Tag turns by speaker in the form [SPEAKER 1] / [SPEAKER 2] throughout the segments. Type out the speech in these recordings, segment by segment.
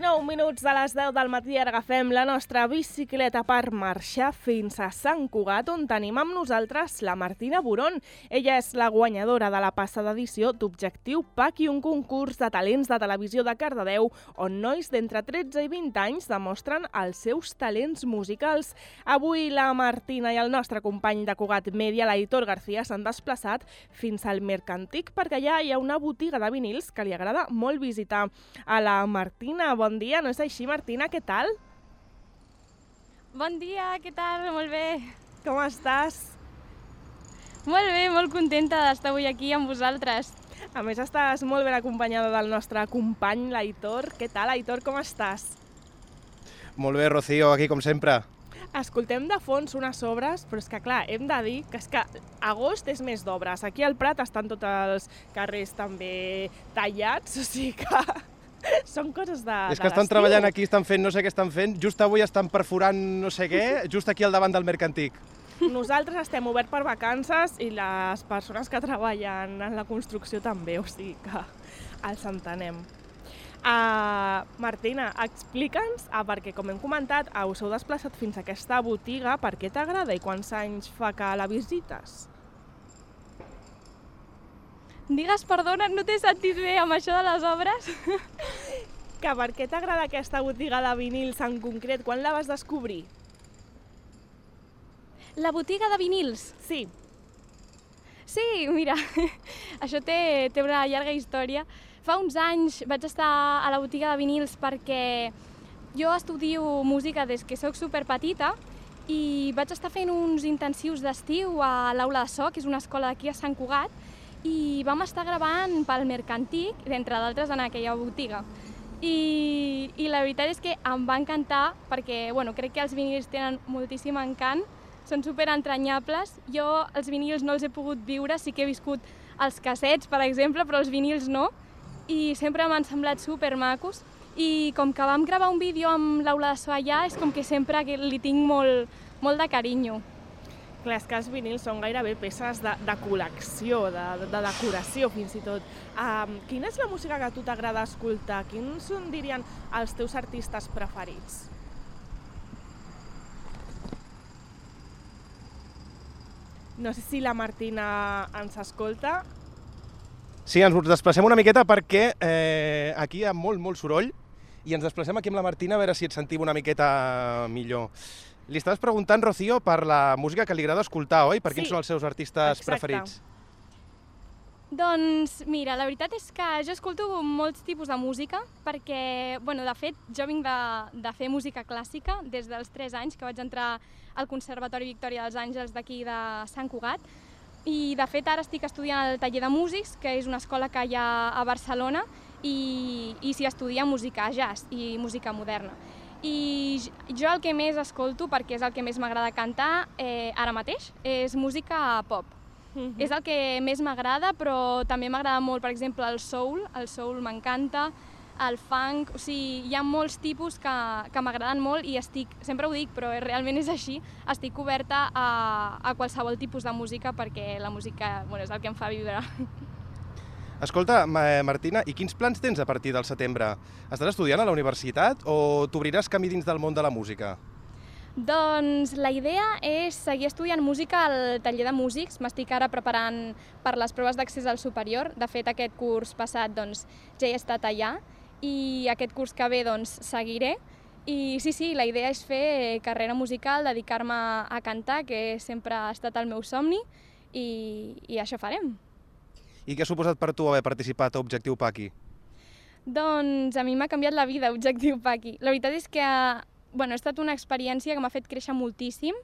[SPEAKER 1] 29 minuts de les 10 del matí ara agafem la nostra bicicleta per marxar fins a Sant Cugat, on tenim amb nosaltres la Martina Boron. Ella és la guanyadora de la passada edició d'Objectiu Paqui, un concurs de talents de televisió de Cardedeu, on nois d'entre 13 i 20 anys demostren els seus talents musicals. Avui la Martina i el nostre company de Cugat Mèdia, l'Aitor García, s'han desplaçat fins al Mercantic perquè allà hi ha una botiga de vinils que li agrada molt visitar. A la Martina, bon dia, no és així, Martina? Què tal?
[SPEAKER 2] Bon dia, què tal? Molt bé.
[SPEAKER 1] Com estàs?
[SPEAKER 2] Molt bé, molt contenta d'estar avui aquí amb vosaltres.
[SPEAKER 1] A més, estàs molt ben acompanyada del nostre company, l'Aitor. Què tal, Aitor, com estàs?
[SPEAKER 3] Molt bé, Rocío, aquí com sempre.
[SPEAKER 1] Escoltem de fons unes obres, però és que, clar, hem de dir que és que agost és mes d'obres. Aquí al Prat estan tots els carrers també tallats, o sigui que són coses de
[SPEAKER 3] És que estan treballant aquí, estan fent no sé què estan fent. Just avui estan perforant no sé què, just aquí al davant del Mercantic.
[SPEAKER 1] Nosaltres estem oberts per vacances i les persones que treballen en la construcció també, o sigui que els entenem. Martina, explica'ns, perquè com hem comentat, us heu desplaçat fins a aquesta botiga. Per què t'agrada i quants anys fa que la visites?
[SPEAKER 2] Digues, perdona, no t'he sentit bé amb això de les obres.
[SPEAKER 1] Que per què t'agrada aquesta botiga de vinils en concret? Quan la vas descobrir?
[SPEAKER 2] La botiga de vinils?
[SPEAKER 1] Sí.
[SPEAKER 2] Sí, mira, això té una llarga història. Fa uns anys vaig estar a la botiga de vinils perquè jo estudio música des que soc superpetita i vaig estar fent uns intensius d'estiu a l'Aula de So, que és una escola d'aquí a Sant Cugat, i vam estar gravant pel Mercantic, d'entre d'altres, en aquella botiga. I la veritat és que em va encantar perquè crec que els vinils tenen moltíssim encant, són superentranyables. Jo els vinils no els he pogut viure, sí que he viscut els cassets, per exemple, però els vinils no, i sempre m'han semblat supermacos. I com que vam gravar un vídeo amb l'Aula de So allà, és com que sempre li tinc molt de carinyo.
[SPEAKER 1] Clar, és que els vinils són gairebé peces de col·lecció, de decoració fins i tot. Quina és la música que a tu t'agrada escoltar? Quins són, dirien, els teus artistes preferits? No sé si la Martina ens escolta.
[SPEAKER 3] Sí, ens desplacem una miqueta perquè aquí hi ha molt soroll i ens desplacem aquí amb la Martina a veure si et sentim una miqueta millor. Li estaves preguntant, Rocío, per la música que li agrada escoltar, oi? Per quins són els seus artistes preferits?
[SPEAKER 2] Doncs mira, la veritat és que jo escolto molts tipus de música perquè, de fet, jo vinc de fer música clàssica des dels 3 anys que vaig entrar al Conservatori Victòria dels Àngels d'aquí de Sant Cugat i, de fet, ara estic estudiant al Taller de Músics, que és una escola que hi ha a Barcelona i s'hi estudia música jazz i música moderna. I jo el que més escolto, perquè és el que més m'agrada cantar ara mateix, és música pop. És el que més m'agrada, però també m'agrada molt, per exemple, el soul m'encanta, el funk, o sigui, hi ha molts tipus que m'agraden molt i sempre ho dic, però realment és així, estic oberta a qualsevol tipus de música perquè la música és el que em fa viure.
[SPEAKER 3] Escolta, Martina, i quins plans tens a partir del setembre? Estàs estudiant a la universitat o t'obriràs camí dins del món de la música?
[SPEAKER 2] Doncs la idea és seguir estudiant música al Taller de Músics. M'estic ara preparant per les proves d'accés al superior. De fet, aquest curs passat ja he estat allà i aquest curs que ve seguiré. I sí, la idea és fer carrera musical, dedicar-me a cantar, que sempre ha estat el meu somni, i això farem.
[SPEAKER 3] I què ha suposat per tu haver participat a Objectiu Paqui?
[SPEAKER 2] Doncs a mi m'ha canviat la vida, Objectiu Paqui. La veritat és que ha estat una experiència que m'ha fet créixer moltíssim,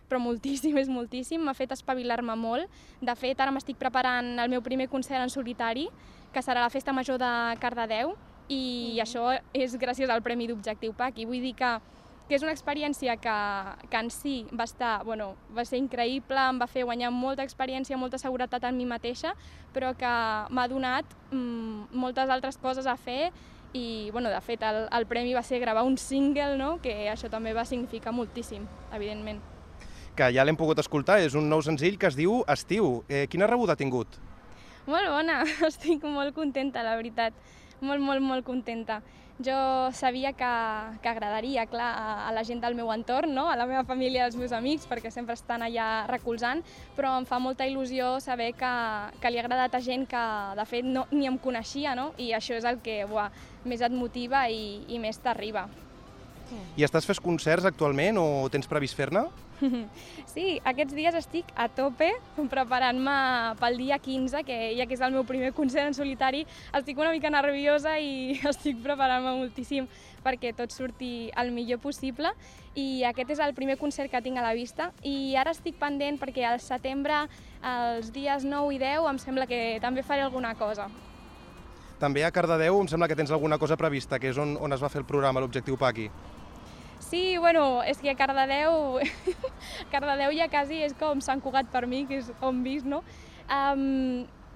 [SPEAKER 2] però moltíssim, és moltíssim, m'ha fet espavilar-me molt. De fet, ara m'estic preparant el meu primer concert en solitari, que serà a la Festa Major de Cardedeu, i això és gràcies al Premi d'Objectiu Paqui. Vull dir que és una experiència que en si va ser increïble, em va fer guanyar molta experiència, molta seguretat en mi mateixa, però que m'ha donat moltes altres coses a fer i, de fet, el premi va ser gravar un single, que això també va significar moltíssim, evidentment.
[SPEAKER 3] Que ja l'hem pogut escoltar, és un nou senzill que es diu Estiu. Quina rebuda ha tingut?
[SPEAKER 2] Molt bona, estic molt contenta, la veritat. Molt contenta. jo sabia que agradaria, clar, a la gent del meu entorn, no? A la meva família i als meus amics, perquè sempre estan allà recolzant, però em fa molta il·lusió saber que li ha agradat a gent que, de fet, ni em coneixia, no? I això és el que més et motiva i més t'arriba.
[SPEAKER 3] I estàs fent concerts actualment o tens previst fer-ne?
[SPEAKER 2] Sí, aquests dies estic a tope preparant-me pel dia 15, ja que és el meu primer concert en solitari. Estic una mica nerviosa i estic preparant-me moltíssim perquè tot surti el millor possible. I aquest és el primer concert que tinc a la vista. I ara estic pendent perquè al setembre, els dies 9 i 10, em sembla que també faré alguna cosa.
[SPEAKER 3] També a Cardedeu em sembla que tens alguna cosa prevista, que és on es va fer el programa, l'Objectiu Paqui.
[SPEAKER 2] Sí, bueno, és que Cardedeu ja quasi és com Sant Cugat per mi, que és on visc, no?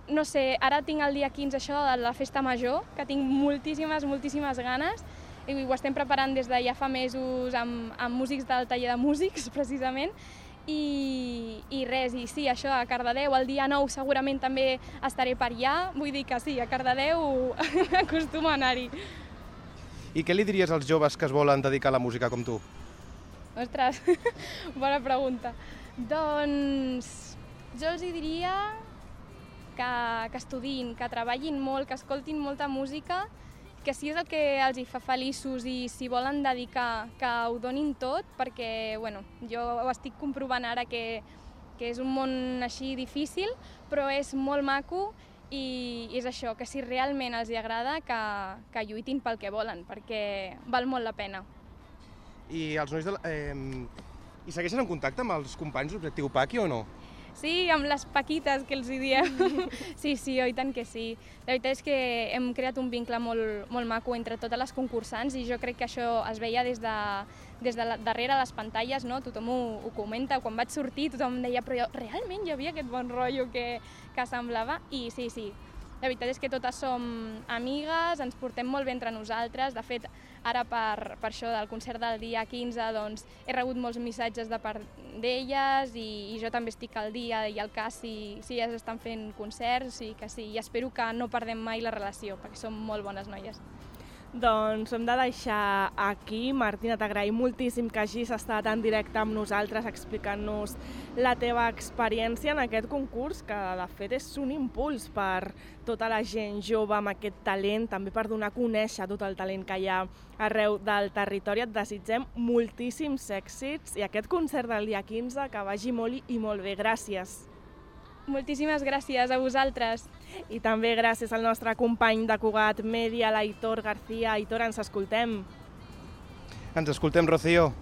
[SPEAKER 2] No sé, ara tinc el dia 15 això de la festa major, que tinc moltíssimes ganes, i ho estem preparant des de ja fa mesos amb músics del taller de músics, precisament, i res, i sí, això a Cardedeu, el dia 9 segurament també estaré per allà, vull dir que sí, a Cardedeu acostumo a anar-hi.
[SPEAKER 3] I què li diries als joves que es volen dedicar a la música com tu?
[SPEAKER 2] Ostres, bona pregunta. Doncs jo els diria que estudiïn, que treballin molt, que escoltin molta música, que si és el que els hi fa feliços i si volen dedicar, que ho donin tot, perquè jo ho estic comprovant ara que és un món així difícil, però és molt maco i és això, que si realment els hi agrada, que lluitin pel que volen, perquè val molt la pena.
[SPEAKER 3] I els nois I segueixen en contacte amb els companys d'Objectiu Paqui o no?
[SPEAKER 2] Sí, amb les paquites que els hi diem. Sí, oi tant que sí. La veritat és que hem creat un vincle molt maco entre totes les concursants i jo crec que això es veia des de darrere les pantalles, no? Tothom ho comenta. Quan vaig sortir tothom em deia però realment hi havia aquest bon rotllo que semblava i sí. La veritat és que totes som amigues, ens portem molt bé entre nosaltres. De fet, ara per això del concert del dia 15 doncs, he rebut molts missatges de part d'elles i jo també estic al dia i al cas si elles estan fent concerts i que sí, i espero que no perdem mai la relació perquè som molt bones noies.
[SPEAKER 1] Doncs hem de deixar aquí. Martina, t'agraïm moltíssim que hagis estat en directe amb nosaltres explicant-nos la teva experiència en aquest concurs, que de fet és un impuls per tota la gent jove amb aquest talent, també per donar a conèixer tot el talent que hi ha arreu del territori. Et desitgem moltíssims èxits i aquest concert del dia 15 que vagi molt i molt bé. Gràcies.
[SPEAKER 2] Moltíssimes gràcies a vosaltres.
[SPEAKER 1] I també gràcies al nostre company de Cugat Mèdia, l'Aitor García. Aitor, ens escoltem.
[SPEAKER 3] Ens escoltem, Rocío.